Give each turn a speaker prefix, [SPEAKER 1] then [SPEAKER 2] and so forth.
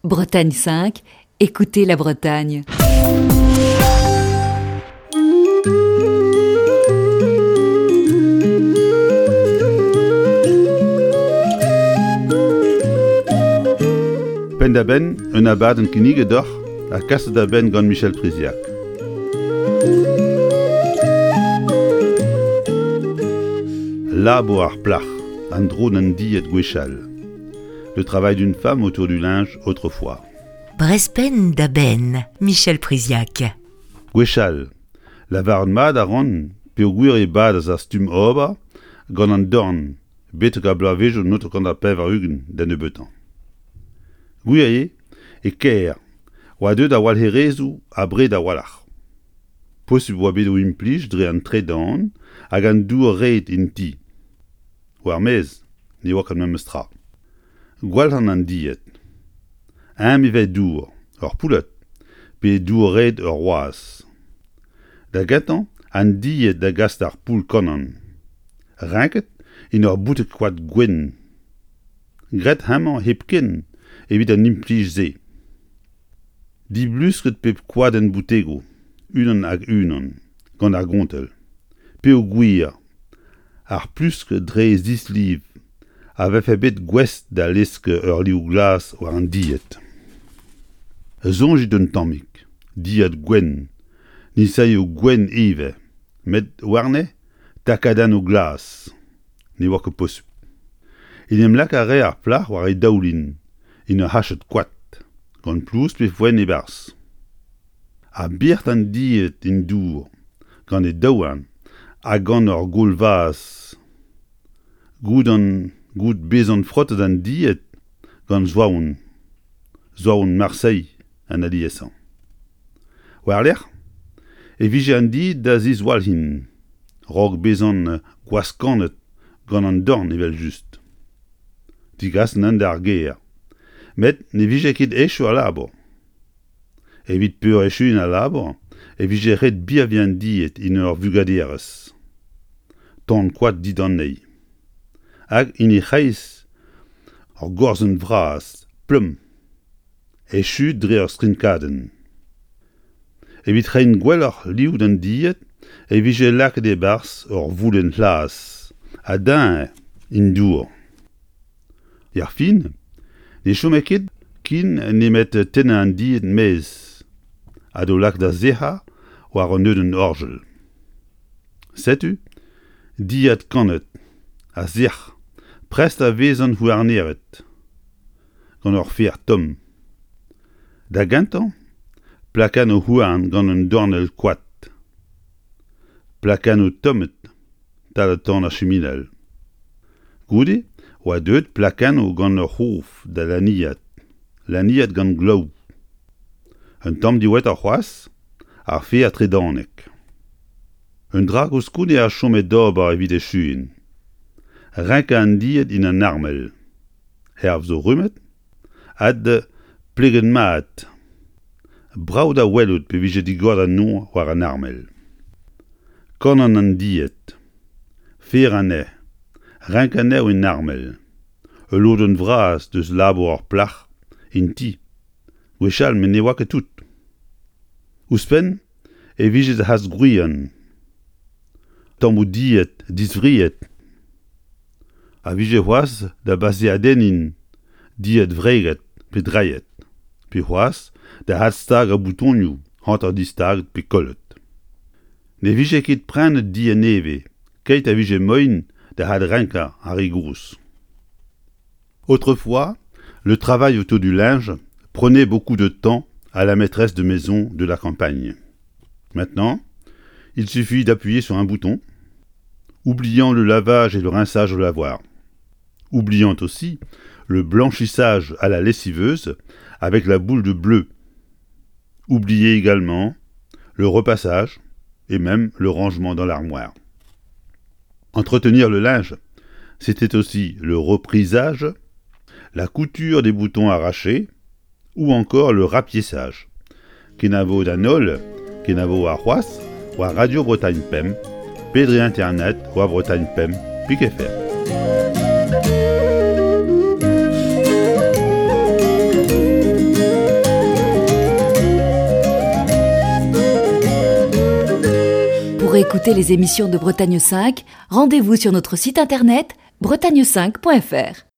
[SPEAKER 1] Bretagne 5, écoutez la Bretagne.
[SPEAKER 2] Penn-da-benn un abadenn kinniget deoc'h ha kaset da benn gant Michel Priziac. Labour ar plac'h, an dro d'an dilhad gwechall. Le travail d'une femme autour du linge autrefois.
[SPEAKER 3] Brezpenn da benn, Michel Priziac.
[SPEAKER 2] Gwechall, lavaret mat a ran peogwir e badas ar stumm ober gant an dorn betek ar bloavezhioù 1980 da nebeutañ. Gwir eo e kêr oa deuet ar walc'herezoù abred a-walc'h. Posupl oa bet o implij dre an tredan hag an dour-red en ti. War-maez ne oa ket memes tra. Gwalc'han an dilhad. Eñ ivez dour, ur poullad, pe dour-red ur wazh. Da gentañ an dilhad da gas d'ar poull-kannan. Renket en ur boutig koad gwenn. Graet hemañ hepken evit an implij-se. Diblusket pep koadenn boutegoù, unan hag unan, gant ar gontell, peogwir ar plusk dre e zisliv a vefe bet gouest da lesk ur liv glas war an dilhad. Soñjit un tammig, dilhad gwenn, nisailhoù gwenn ivez, met warne takadennoù glas. Ne oa ket posupl. En em lak a rae ar plac'h war he daoulin en ur c'hached koad, gant plouz pe foenn e-barzh. Ha birc'h an dilhad en dour gant he daouarn ha gant ur gaol-vazh goude bezañ frotet an dilhad gant soavon, soavon Marseilh an aliesañ. War-lerc'h e vije an dilhad da ziswalc'hin 'raok bezañ gwaskannet gant an dorn evel-just. Degas anezhañ d'ar gêr. Met ne vije ket echu al labour. Evit peurechuiñ al labour e vije ret birviñ an dilhad en ur vugaderez, tan koad dindanezhi, hag en he c'hreiz ur gorzenn vras plom, echu dre ur strinkadenn. Evit reiñ gwelloc'h liv d'an dilhad e vije lakaet e-barzh ur voulenn c'hlas ha deñv en dour. Erfin, ne chome ket ken nemet tennañ an dilhad maez ha d'o lakaat da sec'hañ war un neudenn orjal. Setu dilhad kannet ha sec'h, prest da vezañ houarneret gant ur fer tomm. Da gentañ, plakennoù houarn gant un dornell koad. Plakennoù tommet 'tal tan ar chiminal. Goude oa deuet plakennoù gant ur c'hof da laniat, laniat gant glaou. Un tamm diwezhatoc'h c'hoazh, ar fer tredanek. Un dra koulskoude a chome d'ober evit echuiñ. Renkañ an dilhad en an armel. Herve zo rummet Ad pleget mat. Brav da welout pe vije digoret an nor war an armel. Kannan an died. Fer anezhe. Renk anezho en armel. Ul lodenn vras deus labour ur plac'h en ti. Gwechall met ne oa ket tout. Ouzhpenn e vije da c'has gwrienn. Tammoù died diswriet a vije c'hoazh da baseadenniñ died wreget pe drailhet, pe c'hoazh da adstagañ boutonioù hanter distaget pe kollet. Ne vije ket prenet died nevez keit a vije moaien da adrenkañ ar re gozh. Autrefois, le travail autour du linge prenait beaucoup de temps à la maîtresse de maison de la campagne. Maintenant, il suffit d'appuyer sur un bouton, oubliant le lavage et le rinçage au lavoir. Oubliant aussi le blanchissage à la lessiveuse avec la boule de bleu. Oubliez également le repassage et même le rangement dans l'armoire. Entretenir le linge, c'était aussi le reprisage, la couture des boutons arrachés ou encore le rapiessage. Kenavo d'an holl, kenavo warc'hoazh war Radio Bretagne Pemp pe dre internet war Bretagne Pemp pik fr.
[SPEAKER 1] Pour écouter les émissions de Bretagne 5, rendez-vous sur notre site internet bretagne5.fr.